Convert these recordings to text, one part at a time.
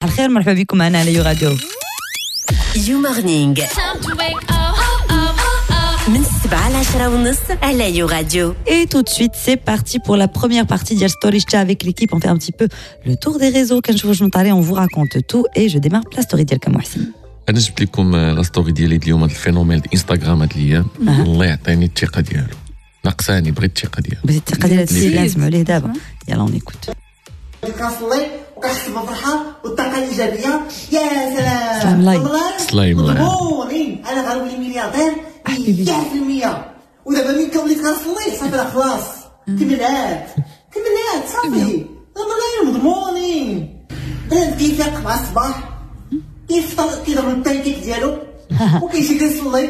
الخير، مرحبا بكم معنا على يو راديو. يو مورنينغ من 7 ل 10:30 على يو راديو. Et tout de suite, c'est parti pour la première partie ديال Story Chat avec l'équipe. On fait un petit peu le tour des réseaux. كنشوفوا شنو طاري، on vous raconte tout et je démarre la story ديالك محسن. انا جبت لكم la story ديالي اليوم، هذا ال phénomène انستغرام هاد الايام. الله يعطيني الثقة ديالو، ناقصاني، بغيت الثقة ديالو. بغيت الثقة ديال هاد السيد اللي نسمعوا ليه دابا. يلا on écoute. كنصلي وكنحس بالفرحه والطاقة الايجابيه، يا سلام. سلام لاي. سلايم لاي. مضمونين، انا غنولي ملياردير 100%. ودابا ملي كنولي كنصلي صافي راه خلاص كملات كملات، صافي الملايين مضمونين. بنادم كيفيق مع الصباح، كيفطر، كيضرب البانكيك ديالو وكيمشي كيصلي،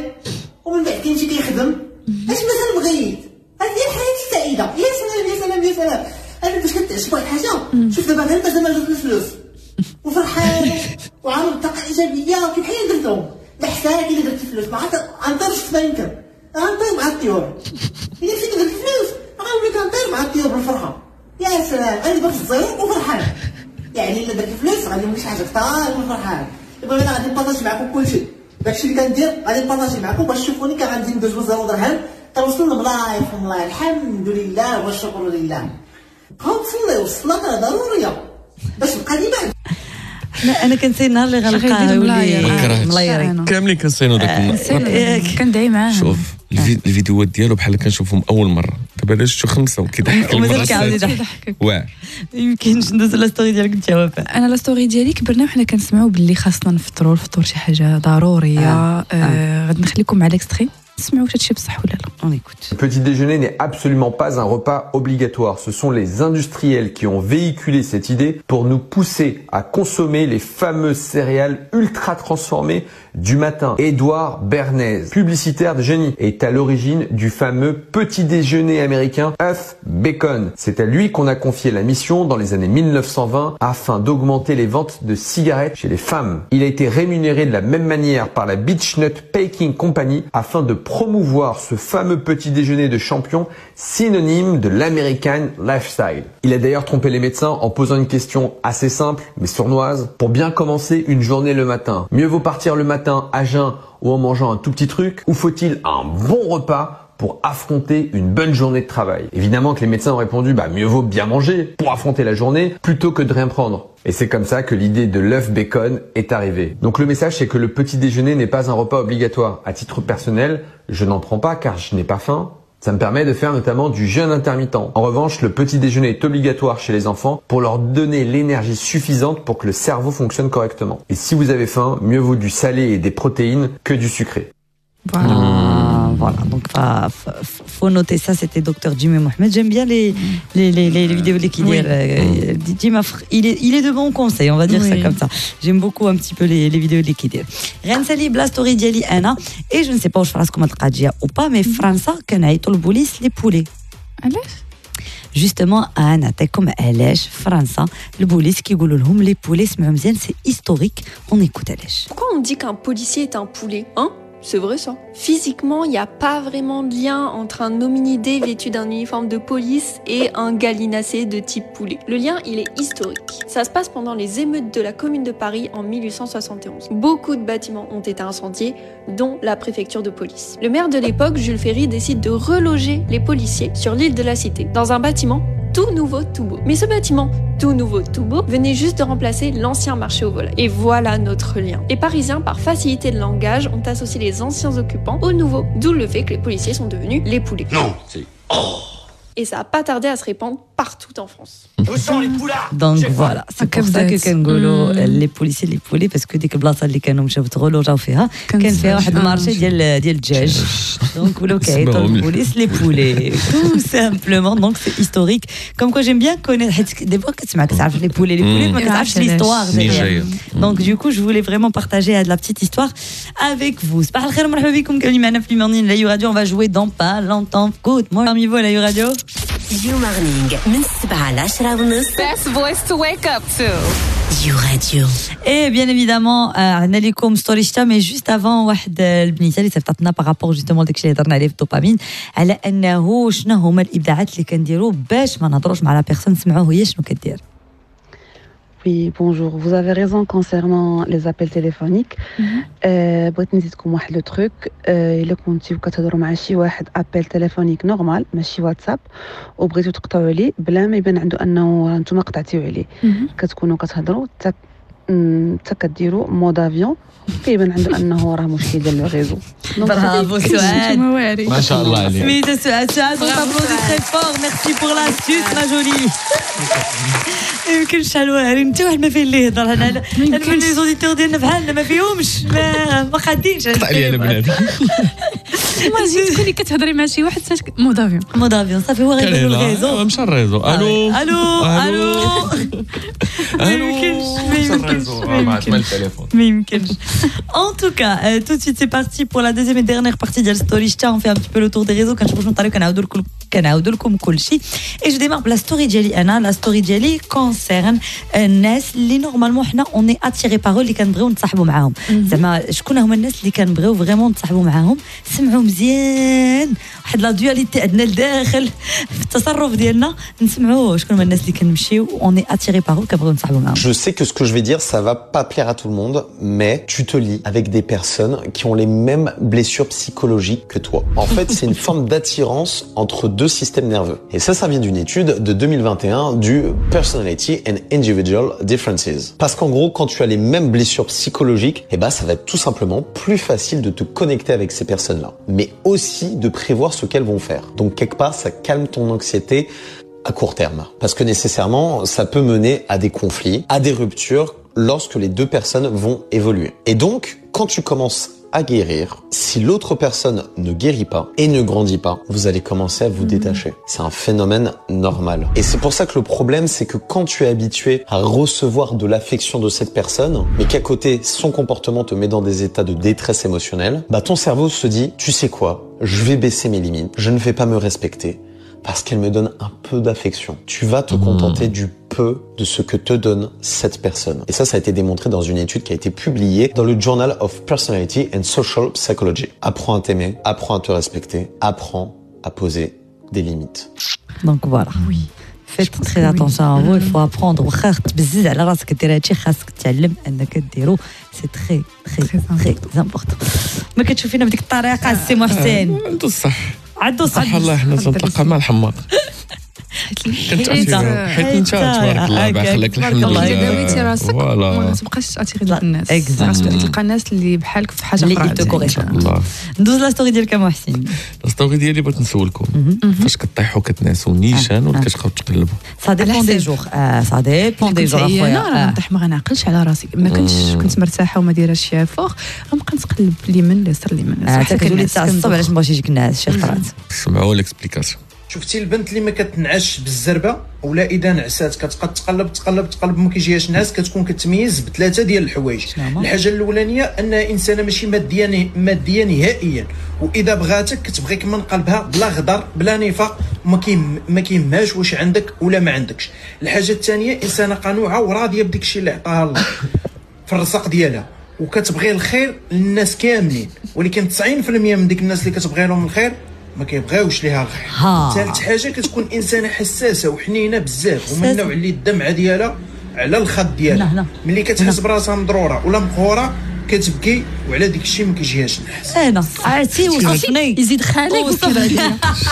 ومن بعد كيمشي كيخدم. اش مازال بغيت؟ هذه هي الحياة السعيده. يا سلام يا سلام يا سلام. انا باش كتعجب واحد الحاجه، شوف دابا غير مازال ما درت الفلوس وفرحان وعامل طاقة ايجابيه، كيف بحال درتهم بحساك اللي درت الفلوس، ما عرفت غنطير في السما، يمكن غنطير مع الطيور. الا مشيت درت الفلوس غنولي كنطير مع الطيور بالفرحه. يا سلام، انا دابا في الزيرو وفرحان، يعني الا درت الفلوس غادي نولي شي حاجة كثار من فرحان. المهم انا غادي نبارطاجي معكم كلشي داكشي اللي كندير، غادي نبارطاجي معكم باش تشوفوني كي غادي ندوز من 0 درهم كنوصل لملاير في ملاير. الحمد لله والشكر لله. بقاو تصليو، الصلاة راه ضرورية باش تبقى ديما. لا، انا كنسي النهار اللي غنلقاه غيدير يولي ملاير. ما كرهتش. ملايري. كاملين كنسينو داك النهار. كندعي معاه. شوف الفيديوهات ديالو بحال كنشوفهم اول مره، دابا علاش شفتو خمسة وكيضحك ومازال المرة كيعاود السادسة. يضحك. واعر. يمكنش ندوز la story ديالك انت وفاء. انا la story ديالي، كبرنا وحنا كنسمعوا باللي خاصنا نفطروا، الفطور شي حاجة ضروريه. غادي نخليكم مع l'extrait، نسمعوا واش هادشي بصح ولا لا. On écoute. Le petit déjeuner n'est absolument pas un repas obligatoire. Ce sont les industriels qui ont véhiculé cette idée pour nous pousser à consommer les fameuses céréales ultra transformées du matin. Édouard Bernays, publicitaire de génie, est à l'origine du fameux petit déjeuner américain œuf bacon. C'est à lui qu'on a confié la mission dans les années 1920 afin d'augmenter les ventes de cigarettes chez les femmes. Il a été rémunéré de la même manière par la Beech-Nut Packing Company afin de promouvoir ce fameux petit déjeuner de champion, synonyme de l'American lifestyle. Il a d'ailleurs trompé les médecins en posant une question assez simple mais sournoise pour bien commencer une journée le matin. Mieux vaut partir le matin à jeun ou en mangeant un tout petit truc, ou faut-il un bon repas pour affronter une bonne journée de travail? Évidemment que les médecins ont répondu, bah, mieux vaut bien manger pour affronter la journée plutôt que de rien prendre. Et c'est comme ça que l'idée de l'œuf bacon est arrivée. Donc le message, c'est que le petit déjeuner n'est pas un repas obligatoire. À titre personnel, je n'en prends pas car je n'ai pas faim. Ça me permet de faire notamment du jeûne intermittent. En revanche, le petit déjeuner est obligatoire chez les enfants pour leur donner l'énergie suffisante pour que le cerveau fonctionne correctement. Et si vous avez faim, mieux vaut du salé et des protéines que du sucré. Voilà. Ah, voilà, donc faut noter ça, c'était Dr Jimmy Mohamed. J'aime bien les vidéos de qu'il Jimmy, il est de bons conseils, on va dire ça comme ça. J'aime beaucoup un petit peu les vidéos de كيدير. غنسالي ب la story ديالي انا et je ne sais pas واش فراسكم هاد القضية ou pas, mais فرنسا كنعيطوا البوليس les poulets. علاش؟ Justement, انا نعطيكم علاش فرنسا البوليس كيقولوا لهم les poulets. سمعوا مزيان، c'est historique, on écoute علاش. Pourquoi on dit qu'un policier est un poulet, hein? C'est vrai, ça. Physiquement, il n'y a pas vraiment de lien entre un hominidé vêtu d'un uniforme de police et un gallinacé de type poulet. Le lien, il est historique. Ça se passe pendant les émeutes de la Commune de Paris en 1871. Beaucoup de bâtiments ont été incendiés, dont la préfecture de police. Le maire de l'époque, Jules Ferry, décide de reloger les policiers sur l'île de la Cité, dans un bâtiment tout nouveau, tout beau. Mais ce bâtiment tout nouveau, tout beau, venait juste de remplacer l'ancien marché aux volailles. Et voilà notre lien. Les Parisiens, par facilité de langage, ont associé les anciens occupants aux nouveaux, d'où le fait que les policiers sont devenus les poulets. Non, c'est... Oh. Et ça a pas tardé à se répandre partout en France. Où sont les poulards? Donc voilà, c'est pour ça que كنقولوا les policiers les poulets, parce que ديك البلاصة اللي كانوا مشاو تغولوجاو فيها كان فيها واحد ال marché ديال الدجاج، donc ولاو كيعيطوا البوليس les poulets, tout simplement. Donc c'est historique, comme quoi j'aime bien connaître, حيت des fois كتسمع، كتعرف les poulets, les poulets, ما كتعرفش l'histoire. Donc du coup, je voulais vraiment partager la petite histoire avec vous. صباح الخير، مرحبا بكم كاملين معنا في Morning على يو راديو. On va jouer dans pas longtemps. Good morning parmi vous على يو راديو. يو مورنينغ من 7 ل 10:30. Best voice to wake up to. يو راديو. Et bien évidemment, عندنا لكم story شتا, mais juste avant, واحد البنيته اللي صيفطتنا par rapport justement داكشي اللي هضرنا عليه في الدوبامين، على انه شنو هما الابداعات اللي كنديروا باش ما نهضروش مع la personne. نسمعوه هي شنو كدير. Oui, bonjour. Vous avez raison concernant les appels téléphoniques. بغيت نزيدكم واحد le truc. الا كنتي كتهضروا مع شي واحد appel téléphonique normal ماشي واتساب وبغيتو تقطعوا عليه بلا ما يبان عنده انه نتوما قطعتيو عليه، كتكونوا كتهضروا حتى كديروا mode avion، كيبان عنده انه راه مشكل ديال le réseau. برافو سعاد، ما شاء الله عليك. سميتها سعاد. سعاد on t'applaudit très fort، merci pour l'astuce ma jolie. يمكن شحال واعرين، انت واحد ما فيه اللي يهضر هنا. انا les auditeurs ديالنا بحالنا ما فيهمش، ما قادينش. قطع لي انا بنادم. imagine تكوني كتهضري مع شي واحد mode avion، mode avion صافي هو غير ال réseau، مشى ال réseau. الو الو الو، ما يمكنش ما يمكنش ما يمكنش. En tout cas, tout de suite c'est parti pour la deuxième et dernière partie ديال Story Chta. On fait un petit peu le tour des réseaux كنشوفوا شنو طاري كنعاودوا لكم كلشي. Et je démarre la story ديالي انا. La story ديالي concerne الناس اللي normalement حنا on est attiré par اللي كنبغيو نتصاحبوا معاهم. زعما شكون هما الناس اللي كنبغيو vraiment نتصاحبوا معاهم؟ سمعوا مزيان، واحد la dualité عندنا لداخل في التصرف ديالنا. نسمعوا شكون هما الناس اللي كنمشيو on est attiré par كنبغيو نتصاحبوا معاهم. Je sais que ce que je vais dire ça va pas plaire à tout le monde, mais tu te lis avec des personnes qui ont les mêmes blessures psychologiques que toi. En fait, c'est une forme d'attirance entre deux systèmes nerveux. Et ça, ça vient d'une étude de 2021 du Personality and Individual Differences. Parce qu'en gros, quand tu as les mêmes blessures psychologiques, eh ben, ça va être tout simplement plus facile de te connecter avec ces personnes-là, mais aussi de prévoir ce qu'elles vont faire. Donc, quelque part, ça calme ton anxiété à court terme. Parce que nécessairement, ça peut mener à des conflits, à des ruptures, lorsque les deux personnes vont évoluer. Et donc, quand tu commences à guérir, si l'autre personne ne guérit pas et ne grandit pas, vous allez commencer à vous détacher. C'est un phénomène normal. Et c'est pour ça que le problème, c'est que quand tu es habitué à recevoir de l'affection de cette personne, mais qu'à côté, son comportement te met dans des états de détresse émotionnelle, bah ton cerveau se dit, tu sais quoi, je vais baisser mes limites, je ne vais pas me respecter, parce qu'elle me donne un peu d'affection. Tu vas te contenter du peu de ce que te donne cette personne. Et ça, ça a été démontré dans une étude qui a été publiée dans le Journal of Personality and Social Psychology. Apprends à t'aimer, apprends à te respecter, apprends à poser des limites. Donc voilà. Oui. Faites très attention à vous, il faut apprendre. واخا تبزز على راسك دير هادشي، خاصك تتعلم انك ديرو. C'est très très très important. ما كتشوفينا بديك الطريقة السي محسن. عنده الصح. عنده صح. الله حنا تنتلاقى مع الحماق. حيت انت تبارك الله باخلك الحمد لله. الا داويتي راسك ما تبقاش تاثيري دوك الناس، تلقى الناس اللي بحالك في حاجة اخرى اللي te. ندوز la story ديالك محسن. la story ديالي بغيت نسولكم، فاش كطيحوا كتنعسوا نيشان ولا كتبقاو تقلبوا؟ ça dépend des jours، ça dépend des jours اخويا. انا نطيح ما غنعقلش على راسي، ما كنتش كنت مرتاحة وما دايرة شي effort، غنبقى نتقلب اليمين اليسار اليمين اليسار حتى كتولي تعصب. علاش ما بغاش يجيك النعاس شي خطرات؟ سمعوا l'explication. شفتي البنت اللي ما كتنعش بالزربه ولا اذا نعسات كتبقى تقلب تقلب تقلب ما كيجيهاش نعاس، كتكون كتميز بثلاثة ديال الحوايج. الحاجة الاولانية انها انسانه ماشي مادية نهائيا، واذا بغاتك كتبغيك من قلبها بلا غدر بلا نفاق، ما كيهمهاش واش عندك ولا ما عندكش. الحاجة الثانية انسانه قنوعه وراضيه بداك الشيء اللي عطاها الله في الرزق ديالها، وكتبغي الخير للناس كاملين، ولكن 90% من ديك الناس اللي كتبغي لهم الخير ما كيبغيوش ليها الخير. ثالث حاجة كتكون انسانه حساسة وحنينه بزاف، ومن النوع اللي الدمعة ديالها على الخد ديالها، ملي كتحس براسها مضروره ولا مقهوره كتبكي، وعلى ديك الشيء ما كيجيهاش النحس. انا عرفتي وصفني يزيد خالك وصفني.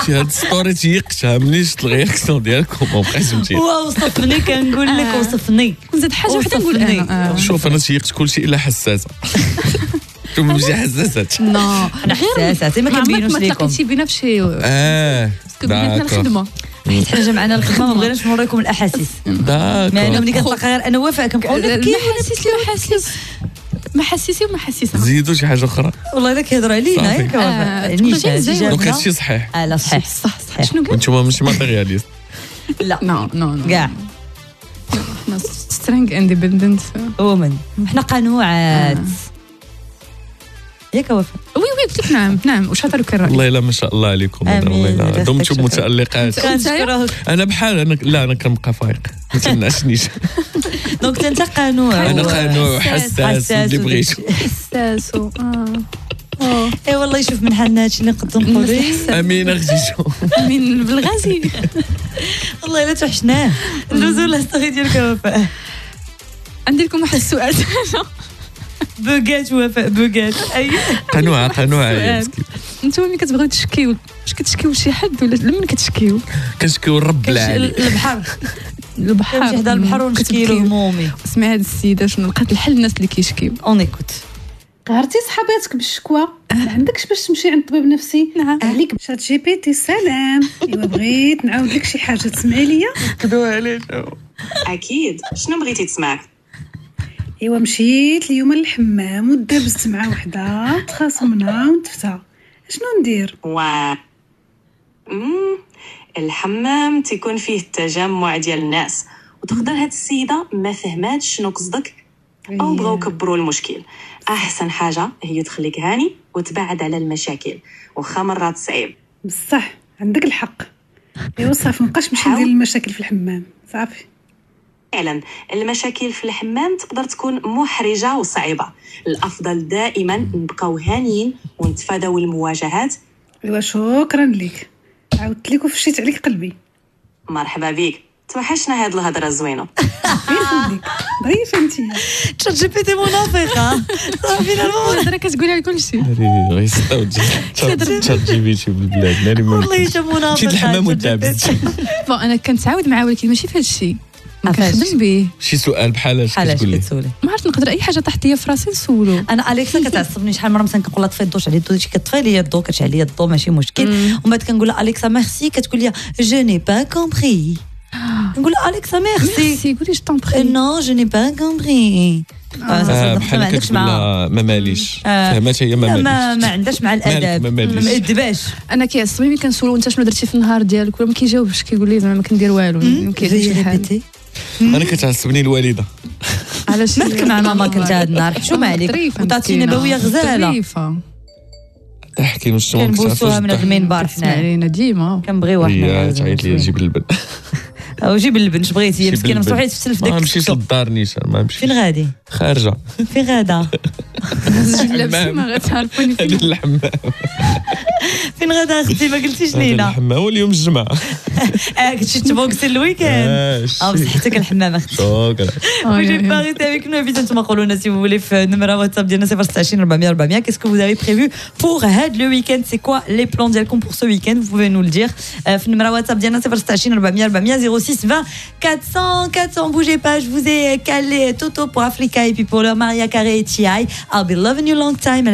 شي هاد story تيقتها ملي شفت ال réaction ديالكم ما بقيتش متيق. وصفني كنقول لك وصفني. نزيد حاجة وحده نقول انا. شوف انا تيقت كلشي الا حساسة. ماشي حساسات. non انا حساسة ما كنبينوش لكم. ما تلاقيتي بينا في شي parce que بيناتنا الخدمة، حيت حنا جمعنا الخدمة ما بغيناش نوريكم الاحاسيس. d'accord. ما ملي كنتلاقى غير انا وفاء كنبقاو نبكي. محاسيس ما حسيسي وما حسيسه. زيدوا شي حاجة اخرى. والله الا كيهضروا علينا ياك وفاء. donc هادشي صحيح. لا صحيح صح صحيح. شنو قلت؟ انتم ماشي matérialistes. لا non non non كاع. حنا strong independent women، حنا قنوعات ياك وفاء. oui oui قلت لك نعم نعم. وش هضروا كالراي؟ والله الا ما شاء الله عليكم. والله الا دمتم متالقات. انا بحال انا لا انا كنبقى فايق ما تنعسنيش. donc انت قنوع. انا قنوع وحساس اللي بغيتو. حساس اي والله يشوف من حالنا هادشي اللي نقدر نقولوا. امين اختي. امين بالغازي. والله الا توحشناه. ندوزو la story ديالك وفاء. عندي لكم واحد السؤال. بوكات وفاء بوكات. اي قنوعه قنوعه يا مسكين. انتم ملي كتبغيو تشكيو، واش كتشكيو لشي حد ولا لمن كتشكيو؟ كنشكيو الرب العالي. البحر البحر، كنمشي حدا البحر ونشكي له همومي. اسمعي هاد السيدة شنو لقات الحل الناس اللي كيشكيو. on écoute. قهرتي صحاباتك بالشكوى، ما عندكش باش تمشي عند طبيب نفسي. نعم. عليك ChatGPT. سلام، ايوا بغيت نعاود لك شي حاجة تسمعي ليا. كدوها عليه. اكيد، شنو بغيتي تسمع؟ ايوا مشيت اليوم للحمام ودابزت مع وحده، تخاصمنا ونتفتها، شنو ندير؟ وا الحمام تيكون فيه التجمع ديال الناس، وتقدر هاد السيدة ما فهماتش شنو قصدك او بغاو كبروا المشكل. احسن حاجة هي تخليك هاني وتبعد على المشاكل، واخا مرات صعيب. بصح عندك الحق. ايوا صافي مابقاش نمشي ندير المشاكل في الحمام، صافي. فعلا المشاكل في الحمام تقدر تكون محرجه وصعيبه، الافضل دائما نبقاو هانيين ونتفاداو المواجهات. ايوا شكرا لك، عاودت لك وفشيت عليك قلبي. مرحبا بك، توحشنا هاد الهضرة الزوينة. ضريفه انت. ChatGPT منافقه صافي. الهضرة كتقولها لكلشي. غيسطاو ChatGPT بالبلاد. ناري والله حتى منافقه. مشيت الحمام ودابزت. bon انا كنتعاود معاه ولكن ماشي في هذا الشيء. ما كنخدم به. شي سؤال بحال اش كتقول لي؟ ما عرفت، نقدر اي حاجة طاحت ليا في راسي نسولو. انا Alexa كتعصبني شحال مرة، مثلا كنقول لها طفي الضو، شعلي الضو، كطفي لي الضو، كتشعل لي الضو ماشي مشكل. ومن بعد كنقول لها Alexa merci، كتقول لي je n'ai pas compris. نقول لها Alexa merci، قولي je t'en prie. non je n'ai pas compris. بحال عندكش مع ما ماليش، فهمات هي ما ماليش، ما عندهاش مع الاداب، ما مأدباش. انا كيعصبني ملي كنسولو انت شنو درتي في النهار ديالك ولا ما كيجاوبش، كيقول لي زعما ما كندير والو، ما كيعجبنيش الحال. انا كتعصبني الوالدة. علاش مالك مع ماما كنت هاد النهار؟ حشومه عليك، وطاتي نبوية غزاله. تحكي نص كنبوسوها من هاد المنبر حنا علينا ديما كنبغيوها حنا. تعيط لي جيب اللبن. او جيب اللبن، اش بغيتي هي مسكينه مسوحيه تفسل في داك. ما مشيتش للدار نيشان، ما مشيتش. فين غادي؟ خارجه. فين غادا؟ لابسه ما غتعرفوني فين. الحمام. فين غادا اختي؟ ما قلتيش لينا. الحمام واليوم الجمعة. كنتي تبوكسي ال week-end. بصحتك الحمام اختي. شكرا. Bougez pas, restez avec nous. انتم قولوا لنا si vous voulez في نمره واتساب ديالنا 026 400 400. Qu'est-ce que vous avez prévu pour هاد le week-end؟ C'est quoi les plans ديالكم pour ce week-end؟ Vous pouvez nous le dire في نمره واتساب ديالنا 026 400 400 06 20 400 400. Bougez pas, je vous ai calé Toto pour Africa et puis pour leur Maria Carey et T.I. I'll be loving you long time.